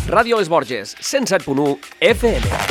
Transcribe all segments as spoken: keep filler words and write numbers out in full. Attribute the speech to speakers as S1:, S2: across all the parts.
S1: Ràdio Les Borges, cent set punt u F M.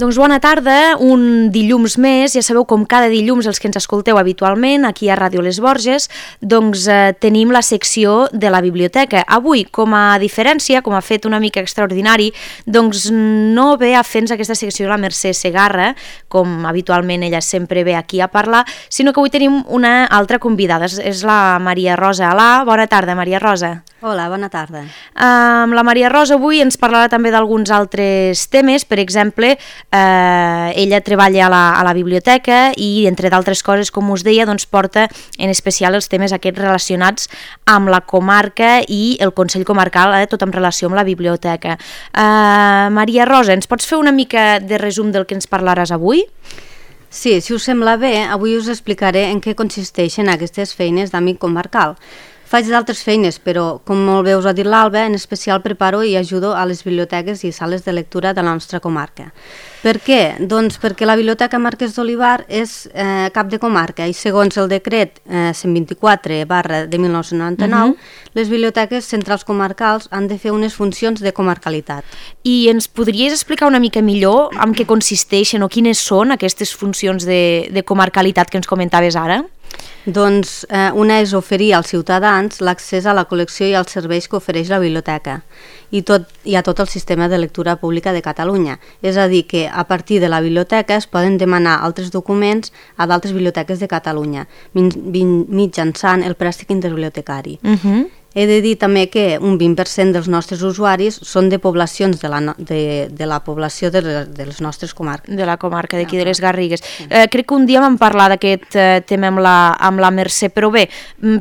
S2: Doncs bona tarda, un dilluns més, ja sabeu com cada dilluns els que ens escolteu habitualment aquí a Ràdio Les Borges, doncs eh, tenim la secció de la biblioteca. Avui, com a diferència, com ha fet una mica extraordinari, doncs no ve a fer-nos aquesta secció la Mercè Segarra, com habitualment ella sempre ve aquí a parlar, sinó que avui tenim una altra convidada, és la Maria Rosa Alà. Bona tarda, Maria Rosa.
S3: Hola, bona tarda.
S2: Um, la Maria Rosa avui ens parlarà també d'alguns altres temes, per exemple, eh, ella treballa a la, a la biblioteca i, entre d'altres coses, com us deia, doncs porta en especial els temes aquests relacionats amb la comarca i el Consell Comarcal, eh, tot en relació amb la biblioteca. Uh, Maria Rosa, ens pots fer una mica de resum del que ens parlaràs avui?
S3: Sí, si us sembla bé, avui us explicaré en què consisteixen aquestes feines d'àmbit comarcal. Faig d'altres feines, però, com molt bé us ha dit l'Alba, en especial preparo i ajudo a les biblioteques i sales de lectura de la nostra comarca. Per què? Doncs perquè la Biblioteca Marquès d'Olivar és eh, cap de comarca i segons el decret eh, cent vint-i-quatre barra de mil nou-cents noranta-nou, uh-huh. les biblioteques centrals comarcals han de fer unes funcions de comarcalitat.
S2: I ens podries explicar una mica millor en què consisteixen o quines són aquestes funcions de, de comarcalitat que ens comentaves ara?
S3: Doncs eh, una és oferir als ciutadans l'accés a la col·lecció i als serveis que ofereix la biblioteca i, tot, i a tot el sistema de lectura pública de Catalunya. És a dir, que a partir de la biblioteca es poden demanar altres documents a d'altres biblioteques de Catalunya mitjançant el préstec interbibliotecari. Uh-huh. He de dir també que un vint per cent dels nostres usuaris són de poblacions de la, no, de, de la població de les, de les nostres comarques.
S2: De la comarca d'aquí de les Garrigues. Sí. Eh, crec que un dia vam parlar d'aquest eh, tema amb la, amb la Mercè, però bé,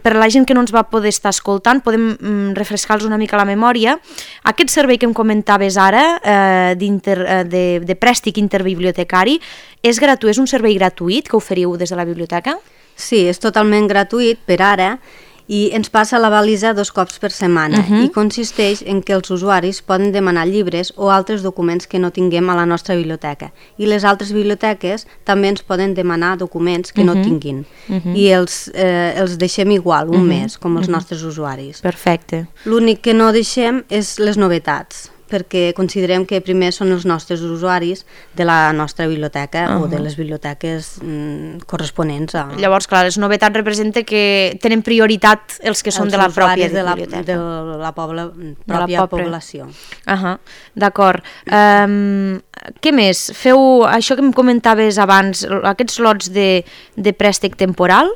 S2: per la gent que no ens va poder estar escoltant, podem mm, refrescar-los una mica la memòria. Aquest servei que em comentaves ara, eh, eh, de, de préstec interbibliotecari, és gratuït, és un servei gratuït que oferiu des de la biblioteca?
S3: Sí, és totalment gratuït per ara, i ens passa la balisa dos cops per setmana uh-huh. i consisteix en que els usuaris poden demanar llibres o altres documents que no tinguem a la nostra biblioteca i les altres biblioteques també ens poden demanar documents que uh-huh. no tinguin uh-huh. i els, eh, els deixem igual un uh-huh. mes com els uh-huh. nostres usuaris.
S2: Perfecte.
S3: L'únic que no deixem és les novetats, perquè considerem que primer són els nostres usuaris de la nostra biblioteca uh-huh. o de les biblioteques mm, corresponents a...
S2: Llavors, clar, les novetats representa que tenen prioritat els que són els de la pròpia
S3: de la,
S2: biblioteca.
S3: De la pobla, pròpia
S2: de la
S3: població.
S2: Uh-huh. D'acord. Um, què més? Feu això que em comentaves abans, aquests lots de, de préstec temporal?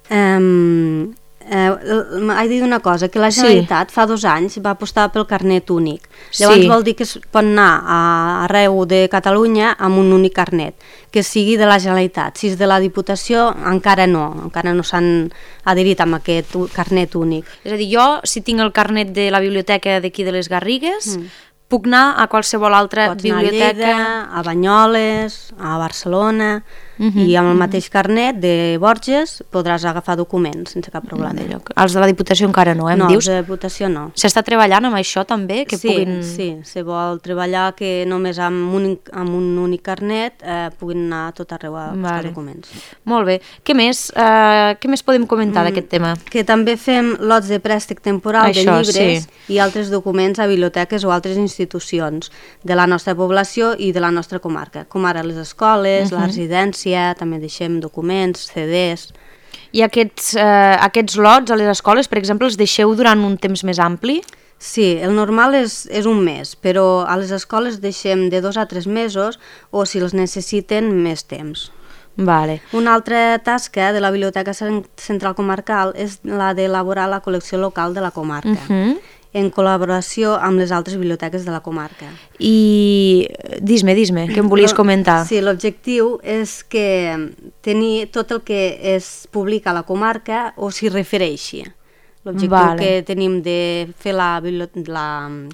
S3: Um, Eh, he de dir una cosa, que la Generalitat sí. fa dos anys va apostar pel carnet únic. Llavors sí. vol dir que es pot anar a, arreu de Catalunya amb un únic carnet, que sigui de la Generalitat. Si és de la Diputació, encara no, encara no s'han adherit amb aquest carnet únic.
S2: És a dir, jo, si tinc el carnet de la biblioteca d'aquí de les Garrigues, mm. puc anar a qualsevol altra
S3: Pots
S2: biblioteca...
S3: Pots anar a Lleida, a Banyoles, a Barcelona... Uh-huh, i amb el mateix carnet de Borges podràs agafar documents sense cap problema.
S2: Els de la Diputació encara no, eh, em
S3: no,
S2: dius?
S3: No, els de la Diputació no.
S2: S'està treballant amb això també? Que
S3: sí,
S2: puguin...
S3: sí, se vol treballar que només amb un, amb un únic carnet eh, puguin anar a tot arreu a buscar vale. documents.
S2: Molt bé. Què més, uh, què més podem comentar mm, d'aquest tema?
S3: Que també fem lots de préstec temporal això, de llibres sí. i altres documents a biblioteques o altres institucions de la nostra població i de la nostra comarca, com ara les escoles, uh-huh. la residència, també deixem documents, C Ds...
S2: I aquests, eh, aquests lots a les escoles, per exemple, els deixeu durant un temps més ampli?
S3: Sí, el normal és, és un mes, però a les escoles deixem de dos a tres mesos o, si els necessiten, més temps.
S2: Vale.
S3: Una altra tasca de la Biblioteca Central Comarcal és la d'elaborar la col·lecció local de la comarca. Uh-huh. En col·laboració amb les altres biblioteques de la comarca.
S2: I dis-me, dis-me, què em volies comentar?
S3: Sí, l'objectiu és que tenir tot el que es publica a la comarca o s'hi refereixi. L'objectiu vale. que tenim de fer la, la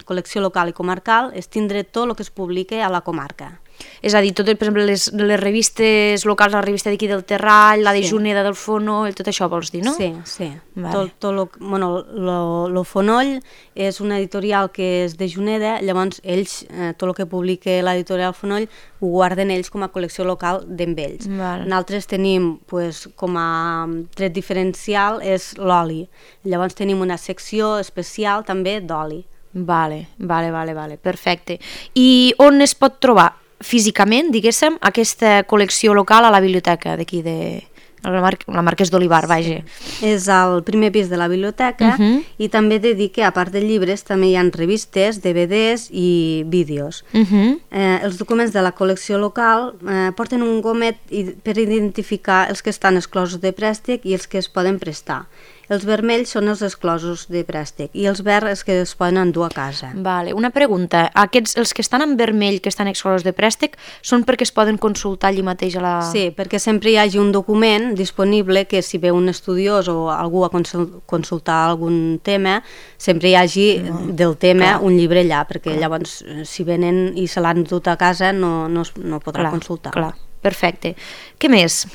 S3: col·lecció local i comarcal és tindre tot el que es publica a la comarca.
S2: És a dir, tot, per exemple, les, les revistes locals, la revista d'aquí del Terrall, la de sí. Juneda del Fonoll, tot això vols dir, no?
S3: Sí, sí.
S2: Vale.
S3: Tot, tot lo, bueno, lo, lo Fonoll és una editorial que és de Juneda, llavors ells, eh, tot el que publica l'editorial Fonoll ho guarden ells com a col·lecció local d'en ells.
S2: Vale.
S3: Nosaltres tenim, pues, com a tret diferencial, és l'oli. Llavors tenim una secció especial també d'oli.
S2: Vale, vale, vale, vale, perfecte. I on es pot trobar físicament, diguéssim, aquesta col·lecció local a la biblioteca d'aquí de... La, Mar la Marquès d'Olivar, vaja.
S3: Sí. És al primer pis de la biblioteca uh -huh. i també he de dir que a part de llibres també hi ha revistes, D V Ds i vídeos. Uh -huh. eh, els documents de la col·lecció local eh, porten un gomet per identificar els que estan exclosos de préstec i els que es poden prestar. Els vermells són els exclosos de préstec i els verds els que es poden endur a casa.
S2: Vale. Una pregunta, aquests, els que estan en vermell, que estan exclosos de préstec, són perquè es poden consultar allí mateix a la...
S3: Sí, perquè sempre hi hagi un document disponible que si ve un estudiós o algú a consultar algun tema, sempre hi hagi no. del tema clar. Un llibre allà, perquè clar. Llavors si venen i se l'han dut a casa no, no, no podrà
S2: clar,
S3: consultar.
S2: Clar, perfecte. Què més?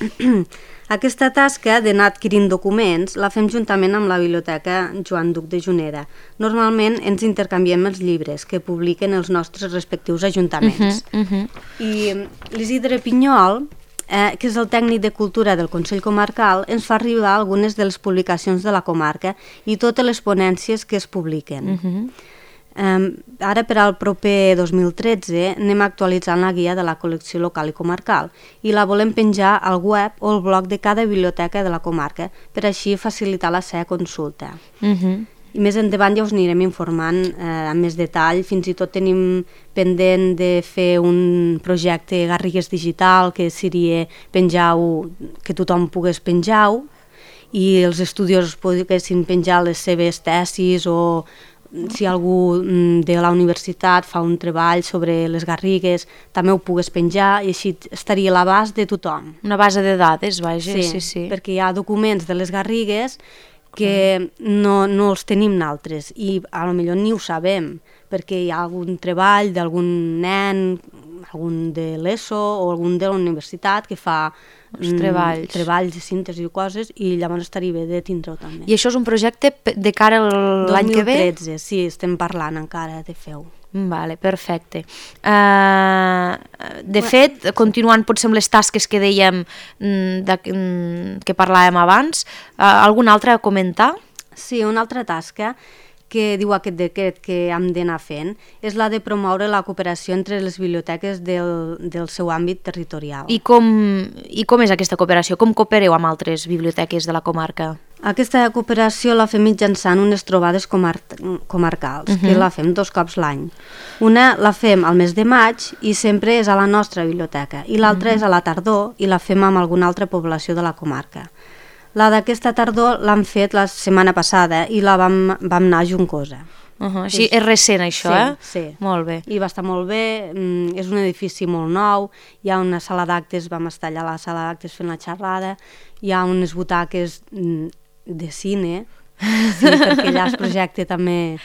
S3: Aquesta tasca d'anar adquirint documents la fem juntament amb la Biblioteca Joan Duc de Juneda. Normalment ens intercanviem els llibres que publiquen els nostres respectius ajuntaments. Uh -huh, uh -huh. I l'Isidre Pinyol, eh, que és el tècnic de cultura del Consell Comarcal, ens fa arribar algunes de les publicacions de la comarca i totes les ponències que es publiquen. Uh -huh. Um, ara per al proper dos mil tretze anem actualitzant la guia de la col·lecció local i comarcal i la volem penjar al web o al blog de cada biblioteca de la comarca per així facilitar la seva consulta. Uh-huh. I més endavant ja us anirem informant eh, amb més detall, fins i tot tenim pendent de fer un projecte Garrigues Digital que seria penjar-ho, que tothom pogués penjar-ho i els estudiosos poguessin penjar les seves tesis o si algú de la universitat fa un treball sobre les garrigues també ho pogués penjar i així estaria a l'abast de tothom.
S2: Una base de dades, vaja,
S3: sí,
S2: sí, sí.
S3: Perquè hi ha documents de les garrigues que no, no els tenim nosaltres i a lo millor ni ho sabem perquè hi ha algun treball d'algun nen, algun de l'ESO o algun de la universitat que fa
S2: els treballs.
S3: Mm, treballs de síntesi i coses i llavors estaria bé de tindre-ho també.
S2: I això és un projecte de cara a l'any que ve?
S3: dos mil tretze, sí, estem parlant encara de fer-ho.
S2: Vale, perfecte. Uh, de fet, continuant potser amb les tasques que dèiem de, que parlàvem abans, uh, alguna altra a comentar?
S3: Sí, una altra tasca que diu aquest decret que hem d'anar fent és la de promoure la cooperació entre les biblioteques del, del seu àmbit territorial.
S2: I com, I com és aquesta cooperació? Com coopereu amb altres biblioteques de la comarca?
S3: Aquesta cooperació la fem mitjançant unes trobades comar comarcals, uh-huh. que la fem dos cops l'any. Una la fem al mes de maig i sempre és a la nostra biblioteca, i l'altra uh-huh. és a la tardor i la fem amb alguna altra població de la comarca. La d'aquesta tardor l'hem fet la setmana passada i la vam, vam anar a Juncosa.
S2: Uh -huh. Així és recent això,
S3: sí,
S2: eh?
S3: Sí,
S2: molt bé.
S3: I va estar molt bé, és un edifici molt nou, hi ha una sala d'actes, vam estar allà a la sala d'actes fent la xerrada, hi ha unes butaques de cine, sí, perquè allà es projecta també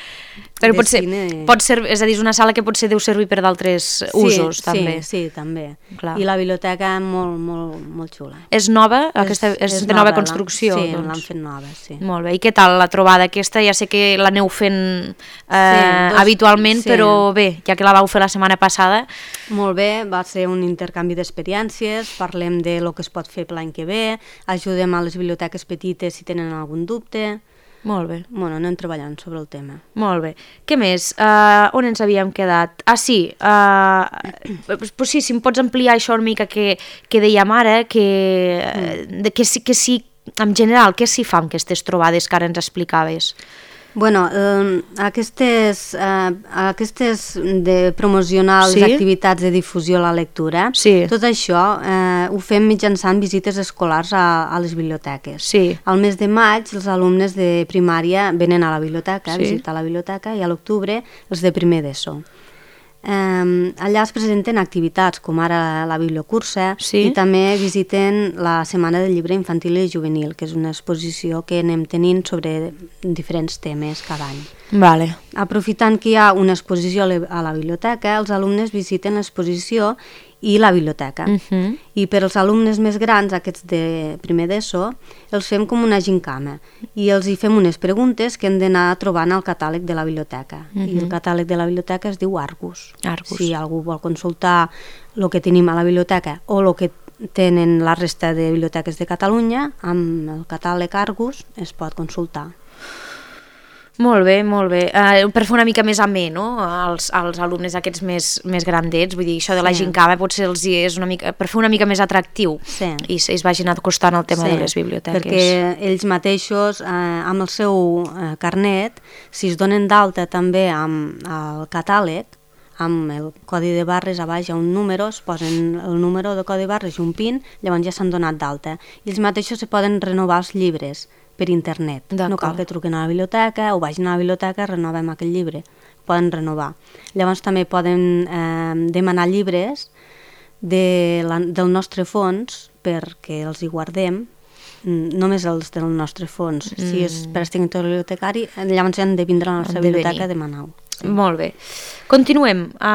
S2: però
S3: de
S2: pot ser,
S3: cine.
S2: Pot ser, és a dir, és una sala que potser deu servir per d'altres
S3: sí,
S2: usos,
S3: sí,
S2: també.
S3: Sí, també.
S2: Clar.
S3: I la biblioteca molt, molt, molt xula.
S2: És nova? Aquesta, és, és de nova, nova construcció?
S3: Sí,
S2: doncs.
S3: l'han fet nova, sí.
S2: Molt bé. I què tal la trobada aquesta? Ja sé que l'aneu fent eh,
S3: sí, dos,
S2: habitualment,
S3: sí.
S2: però bé, ja que la vau fer la setmana passada...
S3: Molt bé, va ser un intercanvi d'experiències, parlem de lo que es pot fer l'any que ve, ajudem a les biblioteques petites si tenen algun dubte...
S2: Molt bé.
S3: Bueno, anem treballant sobre el tema.
S2: Molt bé. Què més? Uh, on ens havíem quedat? Ah, sí. Uh, pues sí, si em pots ampliar això una mica que, que dèiem ara, que, mm. de, que, sí, que sí, en general, què s'hi fa amb aquestes trobades que ara ens explicaves?
S3: Bueno, eh, aquestes, eh, aquestes de promocionar
S2: sí?
S3: les activitats de difusió a la lectura,
S2: sí.
S3: tot això eh, ho fem mitjançant visites escolars a, a les biblioteques.
S2: Sí.
S3: Al mes de maig els alumnes de primària venen a la biblioteca,
S2: sí.
S3: a visitar la biblioteca, i a l'octubre els de primer d'ESO. Um, allà es presenten activitats com ara la bibliocursa
S2: sí?
S3: i també visiten la Setmana del Llibre Infantil i Juvenil, que és una exposició que anem tenint sobre diferents temes cada any.
S2: Vale.
S3: Aprofitant que hi ha una exposició a la biblioteca, els alumnes visiten l'exposició i la biblioteca.
S2: Uh -huh.
S3: I per als alumnes més grans, aquests de primer d'ESO, els fem com una gincama i els hi fem unes preguntes que han d'anar trobant al catàleg de la biblioteca. Uh -huh. I el catàleg de la biblioteca es diu Argus.
S2: Argus.
S3: Si algú vol consultar el que tenim a la biblioteca o el que tenen la resta de biblioteques de Catalunya, amb el catàleg Argus es pot consultar.
S2: Molt bé, molt bé. Uh, per fer una mica més amè, no?, als, als alumnes aquests més, més grandets, vull dir, això de la
S3: Sí.
S2: gincama potser els hi és una mica, per fer una mica més atractiu
S3: Sí.
S2: i es vagin acostant al tema
S3: Sí,
S2: de les biblioteques.
S3: perquè ells mateixos, eh, amb el seu eh, carnet, si es donen d'alta també amb el catàleg, amb el codi de barres a baix hi ha un número, es posen el número de codi de barres i un pin, llavors ja s'han donat d'alta. I ells mateixos se poden renovar els llibres per internet. No cal que truquen a la biblioteca o vagin a la biblioteca, renovem aquell llibre. Poden renovar. Llavors també poden eh, demanar llibres de la, del nostre fons perquè els hi guardem, només els del nostre fons. Mm. Si és per extintor bibliotecari, llavors han de vindre a la nostra biblioteca a demanar-ho.
S2: Sí. Molt bé. Continuem uh,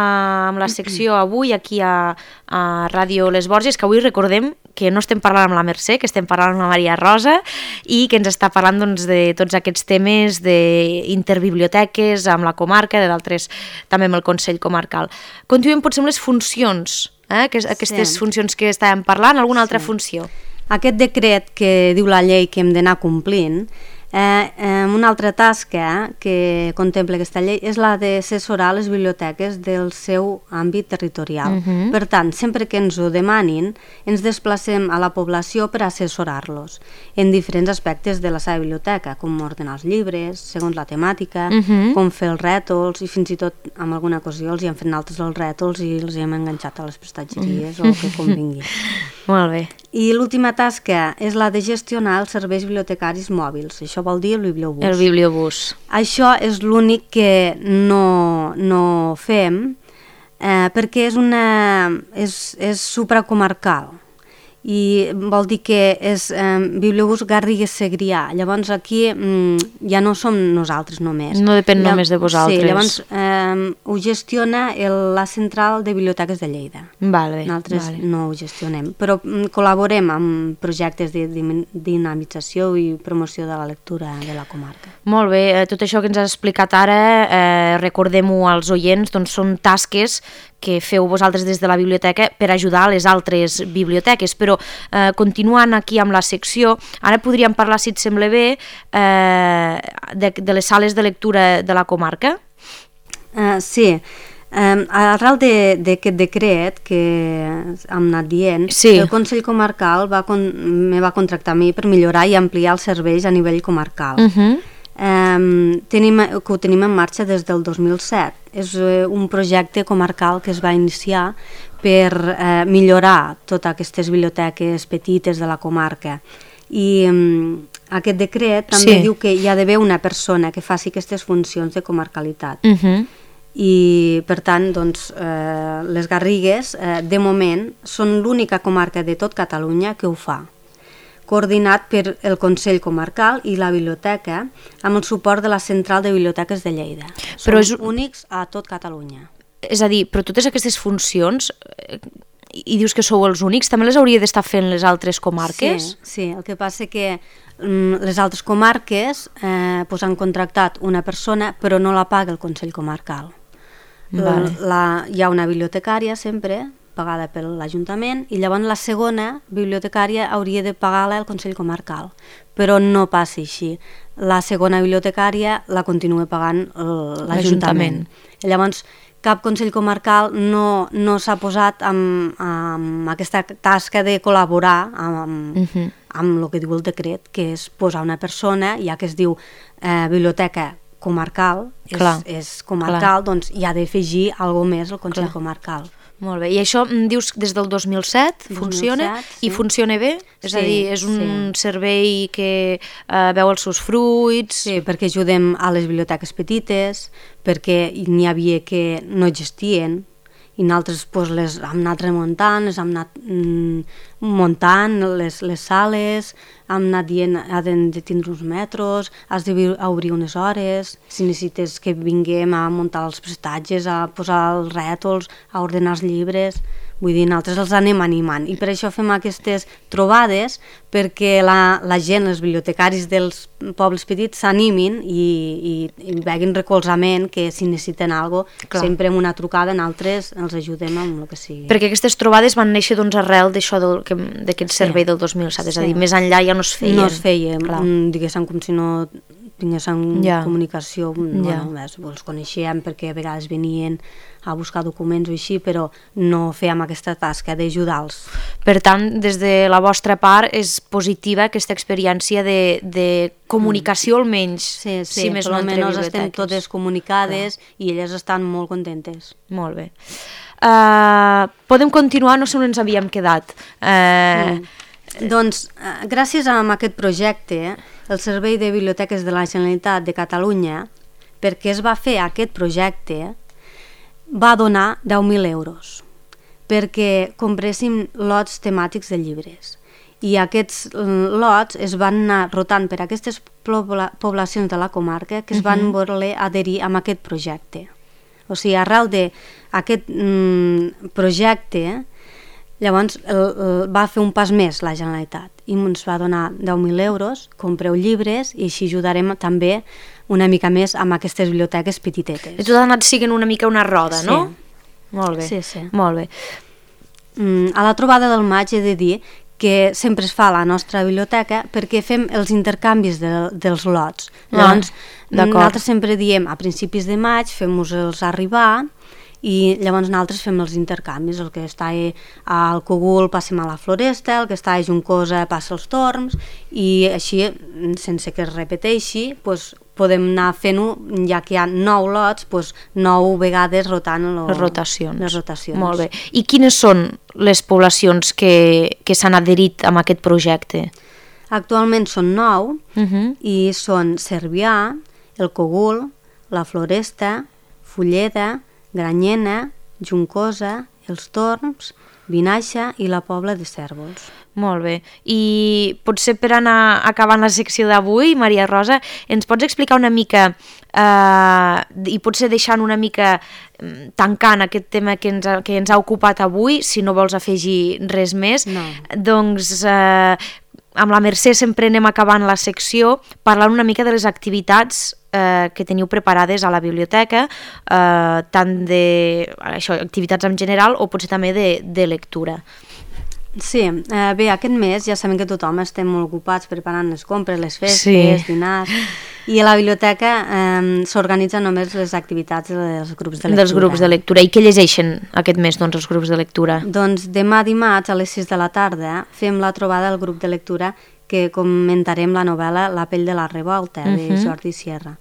S2: amb la secció avui aquí a, a Ràdio Les Borges, que avui recordem que no estem parlant amb la Mercè, que estem parlant amb la Maria Rosa i que ens està parlant doncs, de tots aquests temes d'interbiblioteques amb la comarca, d'altres també amb el Consell Comarcal. Continuem potser amb les funcions, eh? que, aquestes sí. funcions que estàvem parlant, alguna altra sí. funció?
S3: Aquest decret que diu la llei que hem d'anar complint, eh, eh, una altra tasca que contempla aquesta llei és la d'assessorar les biblioteques del seu àmbit territorial. Uh -huh. Per tant, sempre que ens ho demanin, ens desplacem a la població per assessorar-los en diferents aspectes de la seva biblioteca, com ordenar els llibres, segons la temàtica, uh -huh. com fer els rètols, i fins i tot en alguna ocasió els hi han fet altres els rètols i els hi hem enganxat a les prestatgeries uh -huh. o el que convingui.
S2: Molt bé.
S3: I l'última tasca és la de gestionar els serveis bibliotecaris mòbils. Això vol dir el bibliobús.
S2: El bibliobús.
S3: Això és l'únic que no, no fem eh, perquè és, una, és, és supracomarcal i vol dir que és eh, bibliobús Garrigues-Segrià. Llavors aquí mm, ja no som nosaltres només.
S2: No depèn Lla només de vosaltres.
S3: Sí, llavors eh, ho gestiona el, la central de biblioteques de Lleida.
S2: Vale,
S3: Nosaltres
S2: vale.
S3: no ho gestionem, però mm, col·laborem amb projectes de dinamització i promoció de la lectura de la comarca.
S2: Molt bé, tot això que ens has explicat ara, eh, recordem-ho als oients, doncs són tasques que feu vosaltres des de la biblioteca per ajudar a les altres biblioteques, però eh, continuant aquí amb la secció, ara podríem parlar, si et sembla bé, eh, de, de les sales de lectura de la comarca?
S3: Uh, sí, Um, arrel d'aquest de, decret que hem anat dient,
S2: sí.
S3: el Consell Comarcal va con, me va contractar a mi per millorar i ampliar els serveis a nivell comarcal. Uh -huh. um, tenim, que ho tenim en marxa des del dos mil set. És uh, un projecte comarcal que es va iniciar per uh, millorar totes aquestes biblioteques petites de la comarca. I um, aquest decret també sí. diu que hi ha d'haver una persona que faci aquestes funcions de comarcalitat. Uh -huh. I per tant doncs, eh, les Garrigues eh, de moment són l'única comarca de tot Catalunya que ho fa, coordinat per el Consell Comarcal i la biblioteca amb el suport de la Central de Biblioteques de Lleida. Són Però és... únics a tot Catalunya.
S2: És a dir, però totes aquestes funcions, eh, i dius que sou els únics, també les hauria d'estar fent les altres comarques?
S3: Sí, sí, el que passa que les altres comarques eh, pues han contractat una persona però no la paga el Consell Comarcal. Vale. La, hi ha una bibliotecària sempre pagada per l'Ajuntament i llavors la segona bibliotecària hauria de pagar-la el Consell Comarcal, però no passa així. La segona bibliotecària la continua pagant l'Ajuntament. Llavors cap Consell Comarcal no, no s'ha posat amb, amb aquesta tasca de col·laborar amb, uh -huh. amb el que diu el decret, que és posar una persona, ja que es diu eh, biblioteca comarcal, és, és comarcal, clar. Doncs hi ha d'afegir alguna més al Consell clar. Comarcal.
S2: Molt bé, i això dius des del dos mil set funciona dos mil set, sí. I funciona bé? És sí, a dir, és un sí. servei que eh, veu els seus fruits?
S3: Sí, perquè ajudem a les biblioteques petites, perquè n'hi havia que no existien, i nosaltres pues, les hem anat remuntant, les hem anat mm, muntant les, les sales, hem anat dient has de tindre uns metres, has d'obrir unes hores, si necessites que vinguem a muntar els prestatges, a posar els rètols, a ordenar els llibres, Vull dir, nosaltres els anem animant i per això fem aquestes trobades perquè la, la gent, els bibliotecaris dels pobles petits s'animin i, i, i veguin recolzament, que si necessiten alguna cosa, sempre amb una trucada nosaltres els ajudem amb el que sigui.
S2: Perquè aquestes trobades van néixer doncs, arrel d'això d'aquest servei sí. del dos mil set, és sí. a dir, més enllà ja no es feien.
S3: No es feien, diguéssim, com si no tinguéssim ja. comunicació, ja. bueno, els coneixíem perquè a vegades venien a buscar documents o així, però no fèiem aquesta tasca d'ajudar-los.
S2: Per tant, des de la vostra part és positiva aquesta experiència de, de comunicació almenys,
S3: sí, sí,
S2: si més no entre biblioteques.
S3: Estem totes comunicades Clar. I elles estan molt contentes.
S2: Molt bé. Uh, podem continuar, no sé on ens havíem quedat. Uh,
S3: mm. Doncs, uh, gràcies a aquest projecte, el Servei de Biblioteques de la Generalitat de Catalunya, perquè es va fer aquest projecte, va donar deu mil euros perquè compréssim lots temàtics de llibres. I aquests lots es van anar rotant per aquestes pobla poblacions de la comarca que es van uh-huh. voler adherir a aquest projecte. O sigui, arrel d'aquest mm, projecte, llavors el, el, va fer un pas més la Generalitat i ens va donar deu mil euros, compreu llibres i així ajudarem també una mica més amb aquestes biblioteques petitetes.
S2: I tot ha anat siguent una mica una roda,
S3: sí.
S2: no? Molt bé.
S3: Sí, sí.
S2: Molt bé.
S3: Mm, a la trobada del maig he de dir que sempre es fa a la nostra biblioteca perquè fem els intercanvis de, dels lots. Llavors, ah, nosaltres sempre diem a principis de maig, fem-los arribar i llavors nosaltres fem els intercanvis, el que està al Cogul passem a la Floresta, el que està a Juncosa passa als Torms i així, sense que es repeteixi, doncs, podem anar fent-ho, ja que hi ha nou lots, doncs, nou vegades rotant lo,
S2: les, rotacions.
S3: les rotacions.
S2: Molt bé. I quines són les poblacions que, que s'han adherit a aquest projecte?
S3: Actualment són nou
S2: uh-huh.
S3: i són Cervià, el Cogul, la Floresta, Fulleda, Granyena, Juncosa, els Torms, Vinaixa i la Pobla de Cérvols.
S2: Molt bé. I potser per anar acabant la secció d'avui, Maria Rosa, ens pots explicar una mica eh, i potser deixant una mica tancant aquest tema que ens, ha, que ens ha ocupat avui, si no vols afegir res més,
S3: no.
S2: doncs eh, amb la Mercè sempre anem acabant la secció parlant una mica de les activitats eh, que teniu preparades a la biblioteca, eh, tant de això, activitats en general o potser també de, de lectura.
S3: Sí, eh, bé, aquest mes ja sabem que tothom estem molt ocupats preparant les compres, les festes, sí. dinars, i a la biblioteca eh, s'organitzen només les activitats dels grups de lectura.
S2: Dels grups de lectura. I què llegeixen aquest mes, doncs, els grups de lectura?
S3: Doncs demà dimarts a les sis de la tarda fem la trobada del grup de lectura que comentarem la novel·la La pell de la revolta, uh-huh. de Jordi Sierra.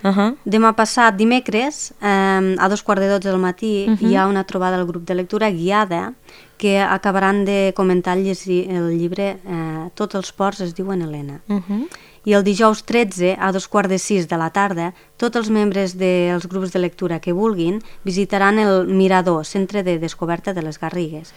S2: Uh-huh.
S3: Demà passat, dimecres, eh, a dos quarts de dotze del matí, uh-huh. hi ha una trobada del grup de lectura guiada que acabaran de comentar el, el llibre eh, Tots els ports es diuen Helena.
S2: Uh-huh.
S3: I el dijous tretze, a dos quarts de sis de la tarda, tots els membres dels grups de lectura que vulguin visitaran el Mirador, centre de descoberta de les Garrigues.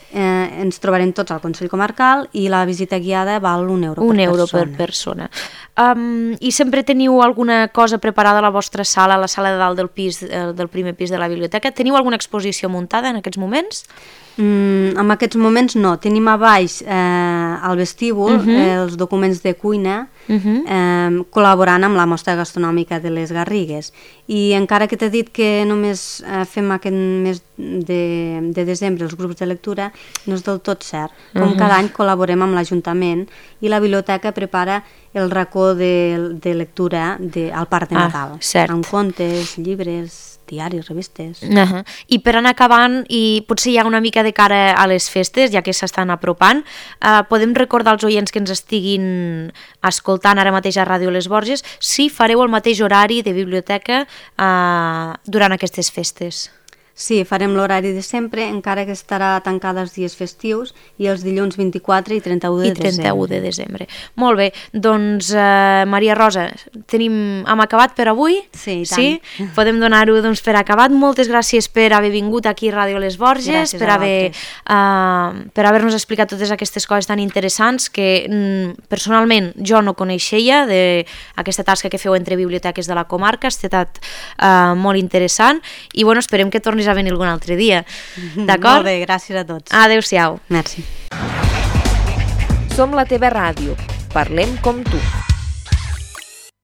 S3: Eh, ens trobarem tots al Consell Comarcal i la visita guiada val un euro
S2: un
S3: per
S2: euro
S3: persona.
S2: per persona. Um, I sempre teniu alguna cosa preparada a la vostra sala, a la sala de dalt del pis, del primer pis de la biblioteca? Teniu alguna exposició muntada en aquests moments?
S3: Mm, en aquests moments no. Tenim a baix eh, al vestíbul uh-huh. eh, els documents de cuina uh-huh. eh, col·laborant amb la mostra gastronòmica de les Garrigues. I encara que t'he dit que només eh, fem aquest mes de, de desembre els grups de lectura, no és del tot cert. Com uh-huh. cada any col·laborem amb l'Ajuntament i la biblioteca prepara el racó de, de lectura de, al Parc de Nadal.
S2: Ah, cert.
S3: Amb contes, llibres, diaris, revistes.
S2: Uh-huh. I per anar acabant, i potser ja una mica de cara a les festes, ja que s'estan apropant, uh, podem recordar als oients que ens estiguin escoltant ara mateix a Ràdio Les Borges si fareu el mateix horari de biblioteca uh, durant aquestes festes.
S3: Sí, farem l'horari de sempre, encara que estarà tancada els dies festius i els dilluns vint-i-quatre i trenta-u de desembre.
S2: I trenta-u de desembre. Molt bé, doncs eh, Maria Rosa, tenim, hem acabat per avui?
S3: Sí, i tant.
S2: Sí? Podem donar-ho doncs, per acabat. Moltes gràcies per haver vingut aquí a Ràdio Les Borges,
S3: gràcies
S2: per haver, uh, per haver-nos explicat totes aquestes coses tan interessants que mm, personalment jo no coneixia d'aquesta tasca que feu entre biblioteques de la comarca. Ha estat uh, molt interessant i bueno, esperem que tornis a venir algun altre dia. D'acord?
S3: Molt bé, gràcies a tots.
S2: Adéu-siau.
S3: Merci.
S4: Som la teva ràdio. Parlem com tu.